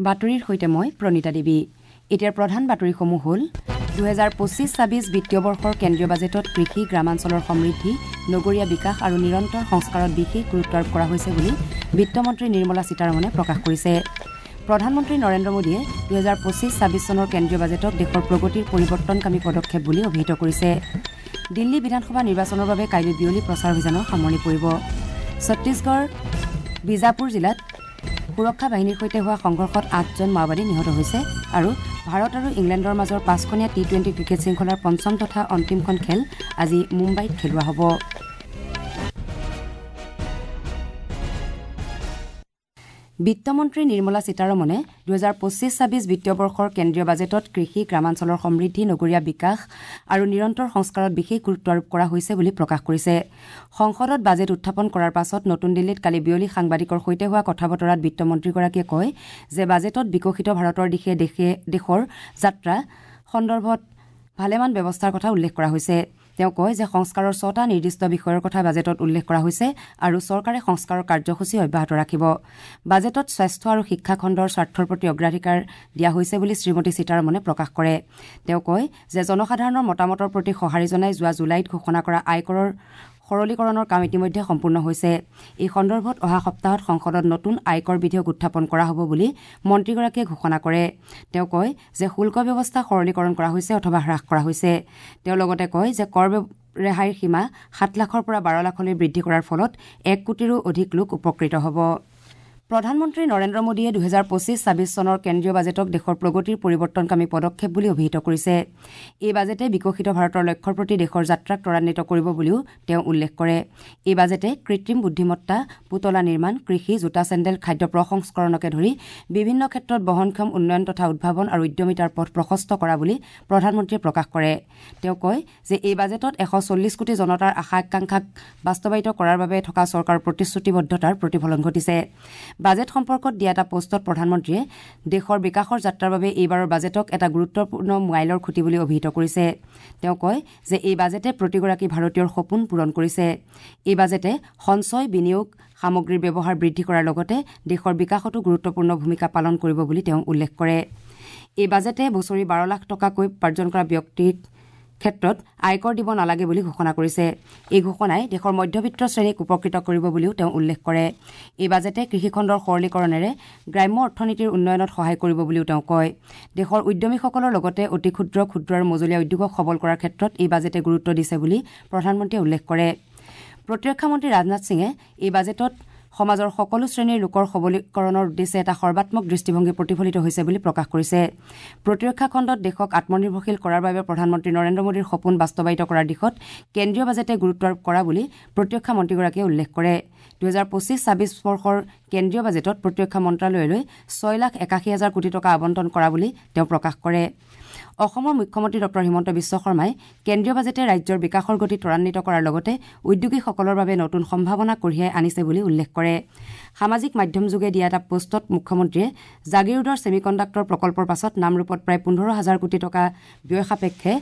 বাতৰিৰ সৈতে মই প্ৰণীতা দেৱী। এতিয়াৰ প্ৰধান বাতৰিসমূহ হ'ল 2025-26 বিত্তীয় বৰ্ষৰ কেন্দ্ৰীয় বাজেটত কৃষি, গ্ৰামাঞ্চলৰ সমৃদ্ধি, নগৰীয়া বিকাশ আৰু নিৰন্তৰ সংস্কাৰত বিশেষ গুৰুত্ব আৰোপ কৰা হৈছে বুলি বিত্তমন্ত্ৰী নিৰ্মলা সীতাৰমণে প্ৰকাশ কৰিছে। প্ৰধানমন্ত্ৰী নৰেন্দ্ৰ মোদীয়ে 2025-26 চনৰ কেন্দ্ৰীয় বাজেটক দেশৰ প্ৰগতিৰ পৰিৱৰ্তনকামী পদক্ষেপ বুলি অভিহিত কৰিছে। দিল্লী বিধানসভা নিৰ্বাচনৰ বাবে কাইলৈ বিয়লি প্ৰচাৰ অভিযানৰ সামৰণি পৰিব। ছত্তীশগড় বিজাপুৰ জিলাত সুৰক্ষা বাহিনীৰ সৈতে হোৱা সংঘৰ্ষত ৮জন মাওবাদী নিহত হৈছে আৰু ভাৰত আৰু ইংলেণ্ডৰ মাজৰ ৫খনীয়া টি-20 ক্ৰিকেট শৃংখলাৰ পঞ্চম তথা অন্তিমখন খেল আজি মুম্বাইত খেলোৱা হ'ব। বিত্তমন্ত্ৰী নিৰ্মলা সীতাৰমণে 2025-26 বিত্তীয় বৰ্ষৰ কেন্দ্ৰীয় বাজেটত কৃষি, গ্ৰামাঞ্চলৰ সমৃদ্ধি, নগৰীয়া বিকাশ আৰু নিৰন্তৰ সংস্কাৰত বিশেষ গুৰুত্ব আৰোপ কৰা হৈছে বুলি প্ৰকাশ কৰিছে। সংসদত বাজেট উত্থাপন কৰাৰ পাছত নতুন দিল্লীত কালি বিয়লি সাংবাদিকৰ সৈতে হোৱা কথা বতৰাত বিত্তমন্ত্ৰীগৰাকীয়ে কয় যে বাজেটত বিকশিত ভাৰতৰ দিশে দেশৰ যাত্ৰা সন্দৰ্ভত ভালেমান ব্যৱস্থাৰ কথা উল্লেখ কৰা হৈছে। তেওঁ কয় যে সংস্কাৰৰ ৬টা নিৰ্দিষ্ট বিষয়ৰ কথা বাজেটত উল্লেখ কৰা হৈছে আৰু চৰকাৰে সংস্কাৰৰ কাৰ্যসূচী অব্যাহত ৰাখিব। বাজেটত স্বাস্থ্য আৰু শিক্ষা খণ্ডৰ স্বাৰ্থৰ প্ৰতি অগ্ৰাধিকাৰ দিয়া হৈছে বুলি শ্ৰীমতী সীতাৰমণে প্ৰকাশ কৰে। তেওঁ কয় যে জনসাধাৰণৰ মতামতৰ প্ৰতি সঁহাৰি জনাই যোৱা জুলাইত ঘোষণা কৰা আয়কৰৰ সৰলীকৰণৰ কাম ইতিমধ্যে সম্পূৰ্ণ হৈছে। এই সন্দৰ্ভত অহা সপ্তাহত সংসদত নতুন আয়কৰ বিধেয়ক উত্থাপন কৰা হ'ব বুলি মন্ত্ৰীগৰাকীয়ে ঘোষণা কৰে। তেওঁ কয় যে শুল্ক ব্যৱস্থা সৰলীকৰণ কৰা হৈছে অথবা হ্ৰাস কৰা হৈছে। তেওঁ লগতে কয় যে কৰ ৰেহাইৰ সীমা ৭ লাখৰ পৰা ১২ লাখলৈ বৃদ্ধি কৰাৰ ফলত ১ কোটিৰো অধিক লোক উপকৃত হ'ব। প্ৰধানমন্ত্ৰী নৰেন্দ্ৰ মোদীয়ে 2025-26 চনৰ কেন্দ্ৰীয় বাজেটক দেশৰ প্ৰগতিৰ পৰিৱৰ্তনকামী পদক্ষেপ বুলি অভিহিত কৰিছে। এই বাজেটে বিকশিত ভাৰতৰ লক্ষ্যৰ প্ৰতি দেশৰ যাত্ৰাক ত্বৰান্বিত কৰিব বুলিও তেওঁ উল্লেখ কৰে। এই বাজেটে কৃত্ৰিম বুদ্ধিমত্তা, পুতলা নিৰ্মাণ, কৃষি, জোতা চেণ্ডেল, খাদ্য প্ৰসংস্কৰণকে ধৰি বিভিন্ন ক্ষেত্ৰত বহনক্ষম উন্নয়ন তথা উদ্ভাৱন আৰু উদ্যমিতাৰ পথ প্ৰশস্ত কৰা বুলি প্ৰধানমন্ত্ৰীয়ে প্ৰকাশ কৰে। তেওঁ কয় যে এই বাজেটত ১৪০ কোটি জনতাৰ আশা আকাংক্ষাক বাস্তৱায়িত কৰাৰ বাবে থকা চৰকাৰৰ প্ৰতিশ্ৰুতিবদ্ধতাৰ প্ৰতিফলন ঘটিছে। বাজেট সম্পৰ্কত দিয়া এটা পোষ্টত প্ৰধানমন্ত্ৰীয়ে দেশৰ বিকাশৰ যাত্ৰাৰ বাবে এইবাৰৰ বাজেটক এটা গুৰুত্বপূৰ্ণ মাইলৰ খুঁটি বুলি অভিহিত কৰিছে। তেওঁ কয় যে এই বাজেটে প্ৰতিগৰাকী ভাৰতীয়ৰ সপোন পূৰণ কৰিছে। এই বাজেটে সঞ্চয়, বিনিয়োগ, সামগ্ৰীৰ ব্যৱহাৰ বৃদ্ধি কৰাৰ লগতে দেশৰ বিকাশতো গুৰুত্বপূৰ্ণ ভূমিকা পালন কৰিব বুলি তেওঁ উল্লেখ কৰে। এই বাজেটে বছৰি ১২ লাখ টকাকৈ উপাৰ্জন কৰা ব্যক্তিৰ ক্ষেত্ৰত আয়কৰ দিব নালাগে বুলি ঘোষণা কৰিছে। এই ঘোষণাই দেশৰ মধ্যবিত্ত শ্ৰেণীক উপকৃত কৰিব বুলিও তেওঁ উল্লেখ কৰে। এই বাজেটে কৃষিখণ্ডৰ সৰলীকৰণেৰে গ্ৰাম্য অৰ্থনীতিৰ উন্নয়নত সহায় কৰিব বুলিও তেওঁ কয়। দেশৰ উদ্যমীসকলৰ লগতে অতি ক্ষুদ্ৰ, ক্ষুদ্ৰ আৰু মজলীয়া উদ্যোগক সবল কৰাৰ ক্ষেত্ৰত এই বাজেটে গুৰুত্ব দিছে বুলি প্ৰধানমন্ত্ৰীয়ে উল্লেখ কৰে। প্ৰতিৰক্ষা মন্ত্ৰী ৰাজনাথ সিঙে এই বাজেটত সমাজৰ সকলো শ্ৰেণীৰ লোকৰ সবলীকৰণৰ উদ্দেশ্যে এটা সৰ্বাত্মক দৃষ্টিভংগী প্ৰতিফলিত হৈছে বুলি প্ৰকাশ কৰিছে। প্ৰতিৰক্ষা খণ্ডত দেশক আত্মনিৰ্ভৰশীল কৰাৰ বাবে প্ৰধানমন্ত্ৰী নৰেন্দ্ৰ মোদীৰ সপোন বাস্তৱায়িত কৰাৰ দিশত কেন্দ্ৰীয় বাজেটে গুৰুত্ব আৰোপ কৰা বুলি প্ৰতিৰক্ষা মন্ত্ৰীগৰাকীয়ে উল্লেখ কৰে। 2025-26 বৰ্ষৰ কেন্দ্ৰীয় বাজেটত প্ৰতিৰক্ষা মন্ত্ৰালয়লৈ ৬,৮১,০০০ কোটি টকা আবণ্টন কৰা বুলি তেওঁ প্ৰকাশ কৰে। অসমৰ মুখ্যমন্ত্ৰী ডঃ হিমন্ত বিশ্ব শৰ্মাই কেন্দ্ৰীয় বাজেটে ৰাজ্যৰ বিকাশৰ গতি ত্বৰান্বিত কৰাৰ লগতে উদ্যোগীসকলৰ বাবে নতুন সম্ভাৱনা কঢ়িয়াই আনিছে বুলি উল্লেখ কৰে। সামাজিক মাধ্যমযোগে দিয়া এটা পোষ্টত মুখ্যমন্ত্ৰীয়ে জাগিৰোডৰ ছেমিকণ্ডাক্টৰ প্ৰকল্পৰ পাছত নামৰূপত প্ৰায় ১৫,০০০ কোটি টকা ব্যয় সাপেক্ষে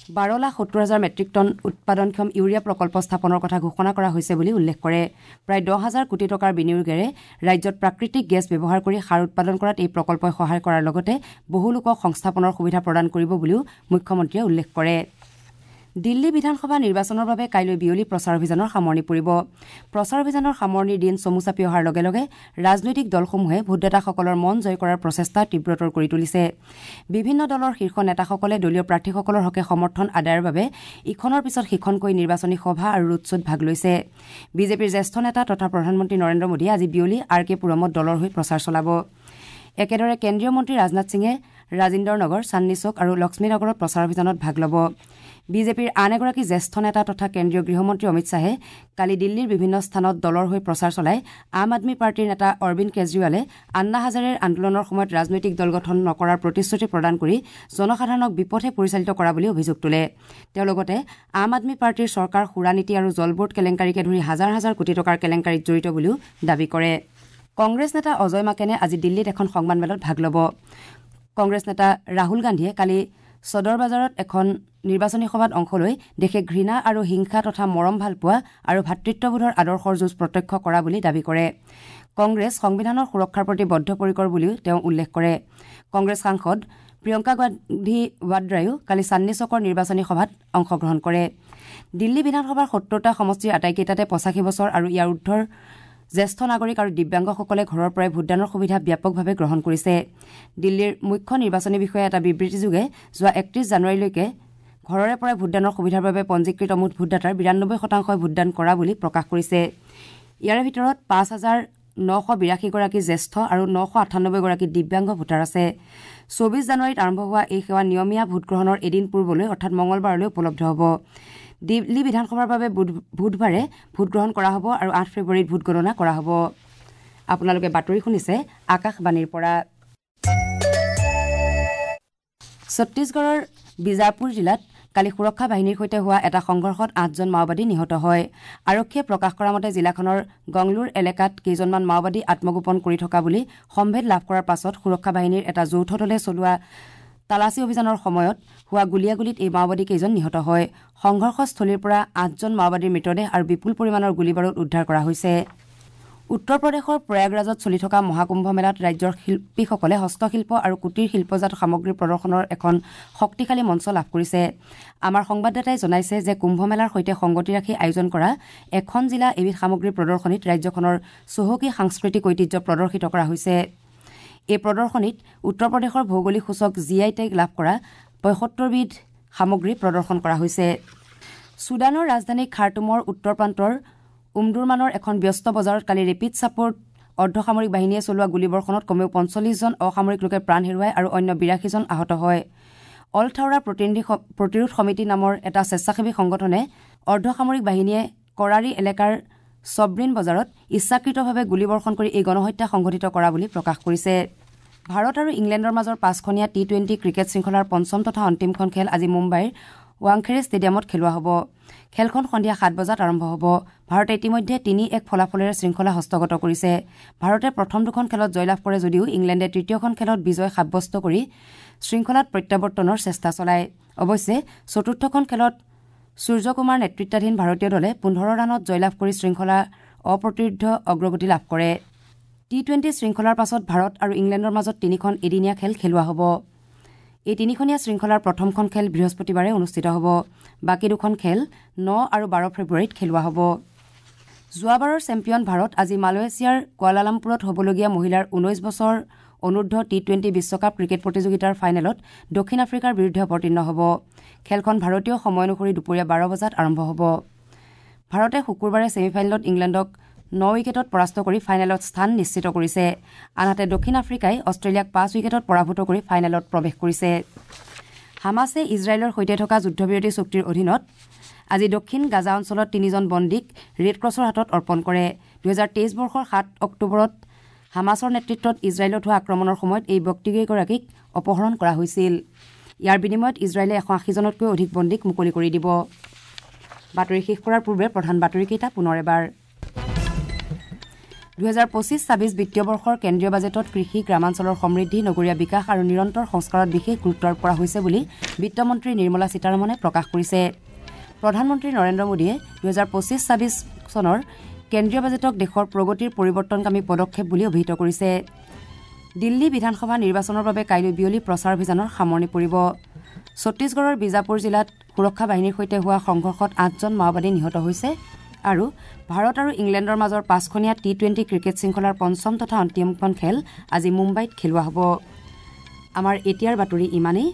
১২,৭০,০০০ মেট্ৰিক টন উৎপাদনক্ষম ইউৰিয়া প্ৰকল্প স্থাপনৰ কথা ঘোষণা কৰা হৈছে বুলি উল্লেখ কৰে। প্ৰায় ১০,০০০ কোটি টকাৰ বিনিয়োগেৰে ৰাজ্যত প্ৰাকৃতিক গেছ ব্যৱহাৰ কৰি সাৰ উৎপাদন কৰাত এই প্ৰকল্পই সহায় কৰাৰ লগতে বহু লোকক সংস্থাপনৰ সুবিধা প্ৰদান কৰিব বুলিও মুখ্যমন্ত্ৰীয়ে উল্লেখ কৰে। দিল্লী বিধানসভা নিৰ্বাচনৰ বাবে কাইলৈ বিয়লি প্ৰচাৰ অভিযানৰ সামৰণি পৰিব। প্ৰচাৰ অভিযানৰ সামৰণিৰ দিন চমু চাপি অহাৰ লগে লগে ৰাজনৈতিক দলসমূহে ভোটদাতাসকলৰ মন জয় কৰাৰ প্ৰচেষ্টা তীব্ৰতৰ কৰি তুলিছে। বিভিন্ন দলৰ শীৰ্ষ নেতাসকলে দলীয় প্ৰাৰ্থীসকলৰ হকে সমৰ্থন আদায়ৰ বাবে ইখনৰ পিছত সিখনকৈ নিৰ্বাচনী সভা আৰু ৰোড শ্ব'ত ভাগ লৈছে। বিজেপিৰ জ্যেষ্ঠ নেতা তথা প্ৰধানমন্ত্ৰী নৰেন্দ্ৰ মোদীয়ে আজি বিয়লি আৰ কে পুৰমত দলৰ হৈ প্ৰচাৰ চলাব। একেদৰে কেন্দ্ৰীয় মন্ত্ৰী ৰাজনাথ সিঙে ৰাজিন্দৰ নগৰ, চান্দনী চৌক আৰু লক্ষ্মীনগৰত প্ৰচাৰ অভিযানত ভাগ ল'ব। বিজেপিৰ আন এগৰাকী জ্যেষ্ঠ নেতা তথা কেন্দ্ৰীয় গৃহমন্ত্ৰী অমিত শ্বাহে কালি দিল্লীৰ বিভিন্ন স্থানত দলৰ হৈ প্ৰচাৰ চলাই আম আদমী পাৰ্টীৰ নেতা অৰবিন্দ কেজৰিৱালে আন্না হাজাৰেৰ আন্দোলনৰ সময়ত ৰাজনৈতিক দল গঠন নকৰাৰ প্ৰতিশ্ৰুতি প্ৰদান কৰি জনসাধাৰণক বিপথে পৰিচালিত কৰা বুলি অভিযোগ তোলে। তেওঁ লগতে আম আদমী পাৰ্টীৰ চৰকাৰ সুৰা নীতি আৰু জলবোৰ্ড কেলেংকাৰীকে ধৰি হাজাৰ হাজাৰ কোটি টকাৰ কেলেংকাৰীত জড়িত বুলিও দাবী কৰে। কংগ্ৰেছ নেতা অজয় মাকেনে আজি দিল্লীত এখন সংবাদমেলত ভাগ ল'ব। কংগ্ৰেছ নেতা ৰাহুল গান্ধীয়ে কালি সদৰ বজাৰত এখন নিৰ্বাচনী সভাত অংশ লৈ দেশে ঘৃণা আৰু হিংসা তথা মৰম ভালপোৱা আৰু ভাতৃত্ববোধৰ আদৰ্শৰ যুঁজ প্ৰত্যক্ষ কৰা বুলি দাবী কৰে। কংগ্ৰেছ সংবিধানৰ সুৰক্ষাৰ প্ৰতি বদ্ধপৰিকৰ বুলিও তেওঁ উল্লেখ কৰে। কংগ্ৰেছ সাংসদ প্ৰিয়ংকা গান্ধী ৱাদ্ৰায়ো কালি চান্দনী চকৰ নিৰ্বাচনী সভাত অংশগ্ৰহণ কৰে। দিল্লী বিধানসভাৰ 70টা সমষ্টিৰ আটাইকেইটাতে 85 বছৰ আৰু ইয়াৰ ঊৰ্ধৰ জ্যেষ্ঠ নাগৰিক আৰু দিব্যাংগসকলে ঘৰৰ পৰাই ভোটদানৰ সুবিধা ব্যাপকভাৱে গ্ৰহণ কৰিছে। দিল্লীৰ মুখ্য নিৰ্বাচনী বিষয়াই এটা বিবৃতিযোগে যোৱা 31 জানুৱাৰীলৈকে ঘৰৰে পৰাই ভোটদানৰ সুবিধাৰ বাবে পঞ্জীকৃত মুঠ ভোটদাতাৰ 92% ভোটদান কৰা বুলি প্ৰকাশ কৰিছে। ইয়াৰে ভিতৰত 5,982গৰাকী জ্যেষ্ঠ আৰু 998গৰাকী দিব্যাংগ ভোটাৰ আছে। 24 জানুৱাৰীত আৰম্ভ হোৱা এই সেৱা নিয়মীয়া ভোটগ্ৰহণৰ এদিন পূৰ্বলৈ অৰ্থাৎ মঙলবাৰলৈ উপলব্ধ হ'ব। দিল্লী বিধানসভাৰ বাবে বুধবাৰে ভোটগ্ৰহণ কৰা হ'ব আৰু 8 ফেব্ৰুৱাৰীত ভোটগণনা কৰা হ'ব। আপোনালোকে বাতৰি শুনিছে আকাশবাণীৰ পৰা। ছত্তীশগড়ৰ বিজাপুৰ জিলাত কালি সুৰক্ষা বাহিনীৰ সৈতে হোৱা এটা সংঘৰ্ষত 8জন মাওবাদী নিহত হয়। আৰক্ষীয়ে প্ৰকাশ কৰা মতে জিলাখনৰ গংলুৰ এলেকাত কেইজনমান মাওবাদী আত্মগোপন কৰি থকা বুলি সম্ভেদ লাভ কৰাৰ পাছত সুৰক্ষা বাহিনীৰ এটা যৌথ দলে চলোৱা তালাচী অভিযানৰ সময়ত হোৱা গুলীয়াগুলীত এই মাওবাদী কেইজন নিহত হয়। সংঘৰ্ষস্থলীৰ পৰা 8জন মাওবাদীৰ মৃতদেহ আৰু বিপুল পৰিমাণৰ গুলীবাৰুদ উদ্ধাৰ কৰা হৈছে। উত্তৰ প্ৰদেশৰ প্ৰয়াগৰাজত চলি থকা মহাকুম্ভ মেলাত ৰাজ্যৰ শিল্পীসকলে হস্তশিল্প আৰু কুটীৰ শিল্পজাত সামগ্ৰী প্ৰদৰ্শনৰ এখন শক্তিশালী মঞ্চ লাভ কৰিছে। আমাৰ সংবাদদাতাই জনাইছে যে কুম্ভ মেলাৰ সৈতে সংগতি ৰাখি আয়োজন কৰা এখন জিলা এবিধ সামগ্ৰী প্ৰদৰ্শনীত ৰাজ্যখনৰ চহকী সাংস্কৃতিক ঐতিহ্য প্ৰদৰ্শিত কৰা হৈছে। এই প্ৰদৰ্শনীত উত্তৰ প্ৰদেশৰ ভৌগোলিক সূচক জি I tag লাভ কৰা 75বিধ সামগ্ৰী প্ৰদৰ্শন কৰা হৈছে। ছুডানৰ ৰাজধানী খাৰ্টুমৰ উত্তৰ প্ৰান্তৰ উমদুৰমানৰ এখন ব্যস্ত বজাৰত কালি ৰেপিড ছাপোৰ্ট অৰ্ধসামৰিক বাহিনীয়ে চলোৱা গুলীবৰ্ষণত কমেও 45জন অসামৰিক লোকে প্ৰাণ হেৰুৱায় আৰু অন্য 82জন আহত হয়। অল থাওৰা প্ৰতিৰোধ সমিতি নামৰ এটা স্বেচ্ছাসেৱী সংগঠনে অৰ্ধসামৰিক বাহিনীয়ে কৰাৰী এলেকাৰ চব্ৰিন বজাৰত ইচ্ছাকৃতভাৱে গুলীবৰ্ষণ কৰি এই গণহত্যা সংঘটিত কৰা বুলি প্ৰকাশ কৰিছে। ভাৰত আৰু ইংলেণ্ডৰ মাজৰ 5খনীয়া টি-20 ক্ৰিকেট শৃংখলাৰ পঞ্চম তথা অন্তিমখন খেল আজি মুম্বাইৰ ৱাংখেৰে ষ্টেডিয়ামত খেলোৱা হ'ব। খেলখন সন্ধিয়া 7 বজাত আৰম্ভ হ'ব। ভাৰতে ইতিমধ্যে 3-1 ফলাফলেৰে শৃংখলা হস্তগত কৰিছে। ভাৰতে প্ৰথম দুখন খেলত জয়লাভ কৰে যদিও ইংলেণ্ডে তৃতীয়খন খেলত বিজয় সাব্যস্ত কৰি শৃংখলাত প্ৰত্যাৱৰ্তনৰ চেষ্টা চলায়। অৱশ্যে চতুৰ্থখন খেলত সূৰ্যকুমাৰ নেতৃত্বাধীন ভাৰতীয় দলে 15 ৰানত জয়লাভ কৰি শৃংখলা অপ্ৰতিৰোধ্য অগ্ৰগতি লাভ কৰে। টি-20 শৃংখলাৰ পাছত ভাৰত আৰু ইংলেণ্ডৰ মাজত 3খন এদিনীয়া খেল খেলোৱা হ'ব। এই 3খনীয়া শৃংখলাৰ প্ৰথমখন খেল বৃহস্পতিবাৰে অনুষ্ঠিত হ'ব। বাকী দুখন খেল 9 আৰু 12 ফেব্ৰুৱাৰীত খেলোৱা হ'ব। যোৱাবাৰৰ চেম্পিয়ন ভাৰত আজি মালয়েছিয়াৰ কুৱালালামপুৰত হ'বলগীয়া মহিলাৰ 19 বছৰ অনূৰ্ধ্ব টি-20 বিশ্বকাপ ক্ৰিকেট প্ৰতিযোগিতাৰ ফাইনেলত দক্ষিণ আফ্ৰিকাৰ বিৰুদ্ধে অৱতীৰ্ণ হ'ব। খেলখন ভাৰতীয় সময় অনুসৰি দুপৰীয়া 12 বজাত আৰম্ভ হ'ব। ভাৰতে শুকুৰবাৰে ছেমিফাইনেলত ইংলেণ্ডক 9 উইকেটত পৰাস্ত কৰি ফাইনেলত স্থান নিশ্চিত কৰিছে। আনহাতে দক্ষিণ আফ্ৰিকাই অষ্ট্ৰেলিয়াক 5 উইকেটত পৰাভূত কৰি ফাইনেলত প্ৰৱেশ কৰিছে। হামাছে ইজৰাইলৰ সৈতে থকা যুদ্ধবিৰতি চুক্তিৰ অধীনত আজি দক্ষিণ গাজা অঞ্চলত 3জন বন্দীক ৰেড ক্ৰছৰ হাতত অৰ্পণ কৰে। 2023 বৰ্ষৰ 7 অক্টোবৰত হামাছৰ নেতৃত্বত ইজৰাইলত হোৱা আক্ৰমণৰ সময়ত এই ব্যক্তিকেইগৰাকীক অপহৰণ কৰা হৈছিল। ইয়াৰ বিনিময়ত ইজৰাইলে 180জনতকৈ অধিক বন্দীক মুকলি কৰি দিব। বাতৰি শেষ কৰাৰ পূৰ্বে প্ৰধান বাতৰিকেইটা পুনৰ এবাৰ। 2025-26 বিত্তীয় বৰ্ষৰ কেন্দ্ৰীয় বাজেটত কৃষি, গ্ৰামাঞ্চলৰ সমৃদ্ধি, নগৰীয়া বিকাশ আৰু নিৰন্তৰ সংস্কাৰত বিশেষ গুৰুত্ব আৰোপ কৰা হৈছে বুলি বিত্তমন্ত্ৰী নিৰ্মলা সীতাৰমণে প্ৰকাশ কৰিছে। প্ৰধানমন্ত্ৰী নৰেন্দ্ৰ মোদীয়ে 2025-26 চনৰ কেন্দ্ৰীয় বাজেটক দেশৰ প্ৰগতিৰ পৰিৱৰ্তনকামী পদক্ষেপ বুলি অভিহিত কৰিছে। দিল্লী বিধানসভা নিৰ্বাচনৰ বাবে কাইলৈ বিয়লি প্ৰচাৰ অভিযানৰ সামৰণি পৰিব। ছত্তীশগড়ৰ বিজাপুৰ জিলাত সুৰক্ষা বাহিনীৰ সৈতে হোৱা সংঘৰ্ষত 8জন মাওবাদী নিহত হৈছে আৰু ভাৰত আৰু ইংলেণ্ডৰ মাজৰ 5খনীয়া টি-20 ক্ৰিকেট শৃংখলাৰ পঞ্চম তথা অন্তিমখন খেল আজি মুম্বাইত খেলোৱা হ'ব। আমাৰ এতিয়াৰ বাতৰি ইমানেই।